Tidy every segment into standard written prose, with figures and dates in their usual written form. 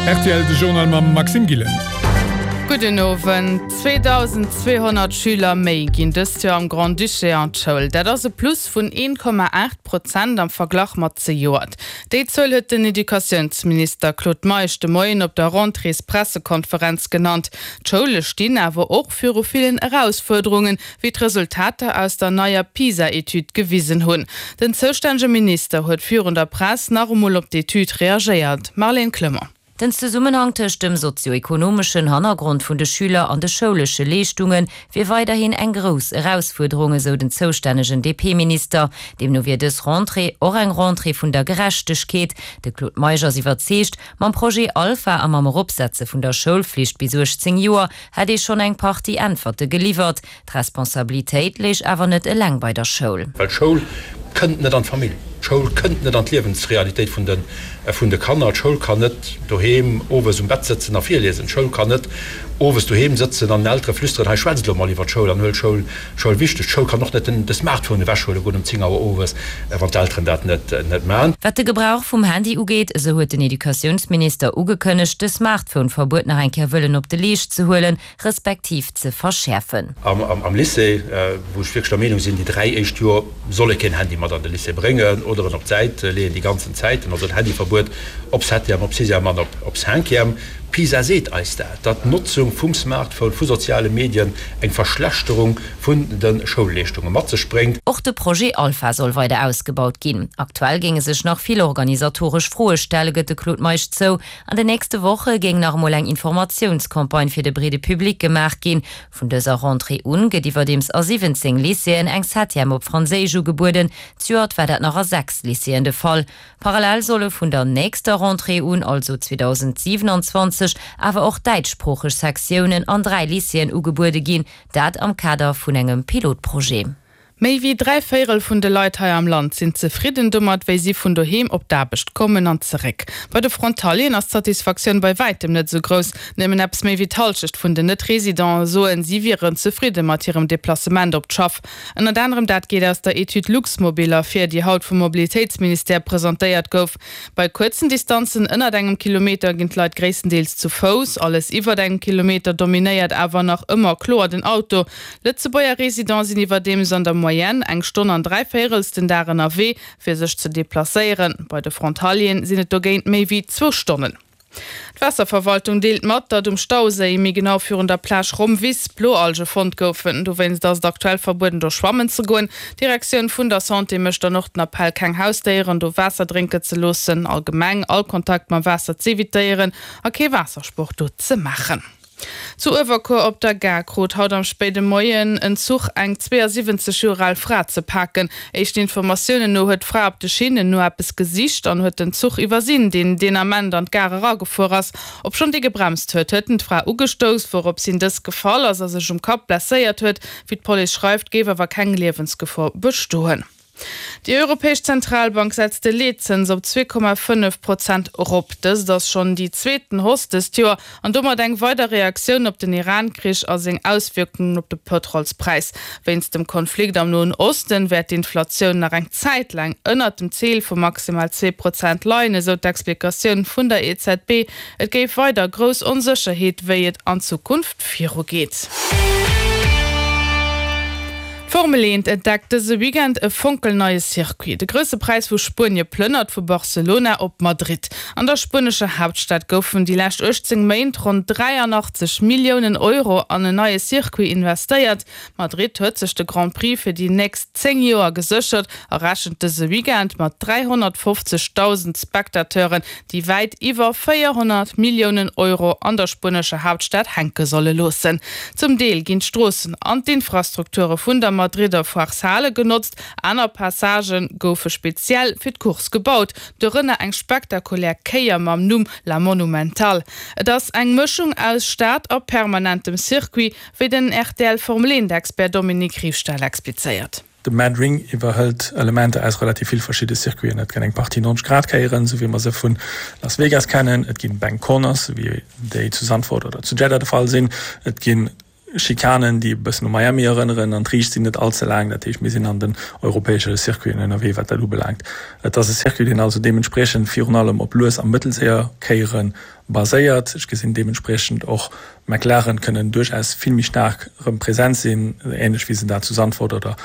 Rtl, de Journal mam Maxime Gillen. Gudden Owend. 2.200 Schüler méi ginn dëst Joer am Grand-Duché an d'Schoul. Dat ass e Plus vun 1,8 Prozent am Verglach mat zejoert. Déi Zuel huet den Educatiounsminister Claude Meisch de Moien op der Rentréespressekonferenz genannt. D'Schoule stinn awer och viru villen Erausfuerderungen, wéi d'Resultater aus der neier PISA-Etüd gewisen hunn. Den zoustännege Minister huet virun der Press nach emol op d'Etüd reagéiert. Marlène Clement. Den Zesummenhang tëscht dem sozio-ekonomeschen Hannergrond vun de Schüler an de schoulesche Leeschtunge wier weiderhin eng grouss Erausfuerderung, esou den zoustännegen DP-Minister. Deemno wier dës Rentrée och eng Rentrée vun der Gerechtegkeet. De Claude Meisch ass iwwerzeegt, mam Projet Alpha a mam Eropsetze vun der Schoulflicht bis 18 Joer hätt ee schonn eng Partie Äntwerte geliwwert. D'Responsabilitéit léich awer net eleng bei der Schoul. Well d'Schoul kënnt net an d'Famill, d'Schoul kënnt net an d'Liewensrealitéit vun de vun de Kanner, d'Schoul kann net doheem owes um Bett sëtzen a virliesen, d'Schoul kann net owes doheem sëtzen an den Eltere flüsteren, hei schwätzt elo mol iwwer d'Schoul an huelt d'Schoul Schoul wichteg. D'Schoul kann och net den de Smartphone ewechhuele goen um 10 Auer owes, wann d'Elteren dat net net man. Wat de Gebrauch vum Handy ugeet, esou huet den Educatiounsminister ugekënnegt, de Smartphone-Verbuet nach eng Kéier wëllen op de Leescht ze huelen, respektiv ze verschäerfen. Am Lycée, wou ech wierklech der Meenung sinn, déi 3 éischt Joer soll ee keen Handy mat an de Lycée bréngen oder en op d'Säit leeën déi ganzen Zäiten, also en Handyverbuet op Septième, op Sixième an op Cinquième. PISA seet eis dat, datt d'Notzung vum Smartphone, vu soziale Medien eng Verschlechterung vun de Schoulleeschtunge mat sech bréngt. Och de Projet Alpha soll weider ausgebaut ginn. Aktuell géinge sech nach vill organisatoresch Froe stellen, gëtt de Claude Meisch zou. An den nächste Woche géing nach emol eng Informatiounscampagne fir de breede Public gemaach ginn. Vun dëser Rentrée un gëtt iwwerdeems a 17 Lycéeën eng Septième op Franséisch ugebueden. Zejoert war dat nach a 6 Lycéeën de Fall. Parallel solle vun der nächster Rentrée un, also 2027, awer och däitschsproocheg Sektiounen an 3 Lycéeën ugebuede ginn, dat am Kader vun engem Pilotprojet. Méi wéi 3 Véirel vun de Leit hei am Land sinn zefridden domat, wéi si vun doheem op d'Aarbecht kommen an zeréck. Bei de Frontalieren ass d'Satisfaktioun bei wäitem net esou grouss. Nëmmen eppes méi wéi d'Hallschecht vun den Net-Residenten soen, si wieren zefridde mat hirem Deplacement op d'Schaff. Ënnert anerem dat geet aus der Etüd Luxmobil ervir, déi haut vum Mobilitéitsministère presentéiert gouf. Bei kuerzen Distanzen ënnert engem Kilometer ginn d'Leit gréisstendeels zu Fouss, alles iwwert engem Kilometer dominéiert awer nach ëmmer kloer den Auto. Lëtzebuerger Residente sinn iwwerdeems an der Moyenne eng Stonn an dräivéierels den Dag ënnerwee, fir sech ze deplacéieren. Bei de Frontalieren sinn et dogéint méi wéi zwou Stonnen. D'Waasserverwaltung deelt mat, datt um Stauséi, méi genau virun der Plage Rommwiss, Bloalge fonnt goufen. Dowéinst ass et aktuell verbueden, do schwammen ze goen. D'Direktioun vun der Santé mécht dann och den Appell, keng Hausdéieren do Waasser drénke ze loossen, allgemeng all Kontakt mam Waasser z'evitéieren a kee Waassersport do ze maachen. Zu Uewerkuer op der Gare krut haut am spéide Moien en Zuch eng 72 Joer al Fra ze paken. Éischten Informatiounen no huet d'Fra op de Schinnen no eppes gesicht an huet den Zuch iwwersinn, deen deen Ament an d'Gare eragefuer ass. Obschonn dee gebremst huet, huet en d'Fra ugestouss, wourops hin dës gefall ass a sech um Kapp blesséiert huet. Wéi d'Police schreift, géif awer keng Liewensgefor bestoen. Déi Europäesch Zentralbank setzt de Leetzëns op 2,5 Prozent erop. Dëst ass schonn déi zweeten Hausse dëst Joer an domat eng weider Reaktioun op den Iran-Krich a seng Auswierkungen op de Pëtrolspräis. Wéinst dem Konflikt am Noen Osten wäert d'Inflatioun nach eng Zäit laang ënnert dem Zil vu maximal 2 Prozent leien, esou d'Explikatioun vun der EZB. Et géif weider grouss Onsécherheet, wéi et an Zukunft virugeet. D'Formel 1 entdeckt dëse Weekend e fonkelneie Circuit. De Grousse Präis vu Spuenie plënnert vu Barcelona op Madrid. An der spuenescher Haaptstad goufen déi lescht 18 Méint ronn 83 Milliounen Euro an en neie Circuit investéiert. Madrid huet sech de Grand Prix fir déi nächst 10 Joer geséchert a rechent dëse Weekend mat 350.000 Spectateuren, déi wäit iwwer 400 Milliounen Euro an der spuenescher Haaptstad hänke solle loossen. Zum Deel ginn d'Stroossen an d'Infrastrukture vun der Madridder Foireshale genotzt, aner Passagë goufe speziell fir d'Course gebaut, dorënner eng spektakulär Kéier mam Numm La Monumental. Et ass eng Mëschung aus Stad a permanentem Circuit, wéi den RTL-Formel-Eent-Expert Dominique Riefstahl explizéiert. De Mad Ring iwwerhëlt Elementer aus relativ vill verschidde Circuiten. Et gëtt eng Partie 90 Grad Kéieren, esou wéi mer se vu Las Vegas kennen. Et ginn Bank Corners, esou wéi déi zu Zandvoort oder zu Jeddah de Fall sinn. Et ginn. Schikanen, déi e bëssen u Miami erënneren, an d'Riicht sinn net all ze laang. Dat heescht, mir sinn an den europäesche Circuiten ënnerwee, wat dat ubelaangt. Et ass e Circuit, deen also deementspriechend virun allem op lues a mëttelséier Kéiere baséiert. Ech gesinn deementspriechend och McLaren kënnen duerchaus vill méi staark erëm present sinn, änlech wéi se dat zu Zandvoort oder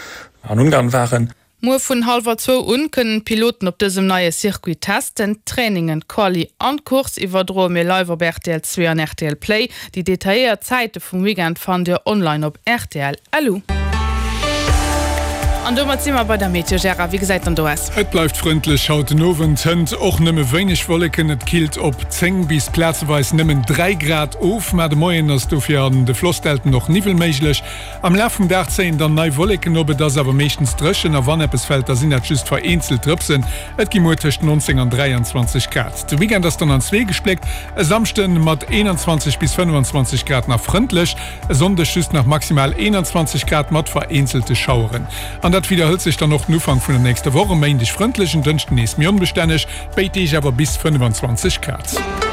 an Ungarn waren. Muer vun hallwer zwou un kënnen d'Piloten op dësem neie Circuit testen. D'Trainingen, d'Quali an d'Course iwwerdroe mir live op rtl 2 an rtl Play. Déi detailléiert Zäite vum Weekend fannt dir online op rtl.lu. An domat si mer bei der Meteo. Gérard, wéi gesäit dann do aus? Et bleift frëndlech haut den Owend, hënt och nëmme wéineg Wolleken. Et killt op 10 bis plazeweis nëmmen 3 Grad of, ma de Moien ass dofir an de Flossdelten och Niwwel méiglech. Am Laf vum Dag zéien dann nei Wolleken op, et ass awer meeschtens dréchen a wann eppes fält, da sinn dat just vereenzelt Drëpsen. Et gi muer tëscht 19 an 23 Grad. De Weekend ass dann an zwee gespléckt, e Samschde mat 21 bis 25 Grad nach frëndlech, e Sonndeg just nach maximal 21 Grad mat vereenzelte Schaueren. An dat widderhëlt sech dann och den Ufank vun der nächster Woch, e Méindeg frëndlech, en Dënschden nees méi onbestänneg, béid Deeg awer bis 25 Grad.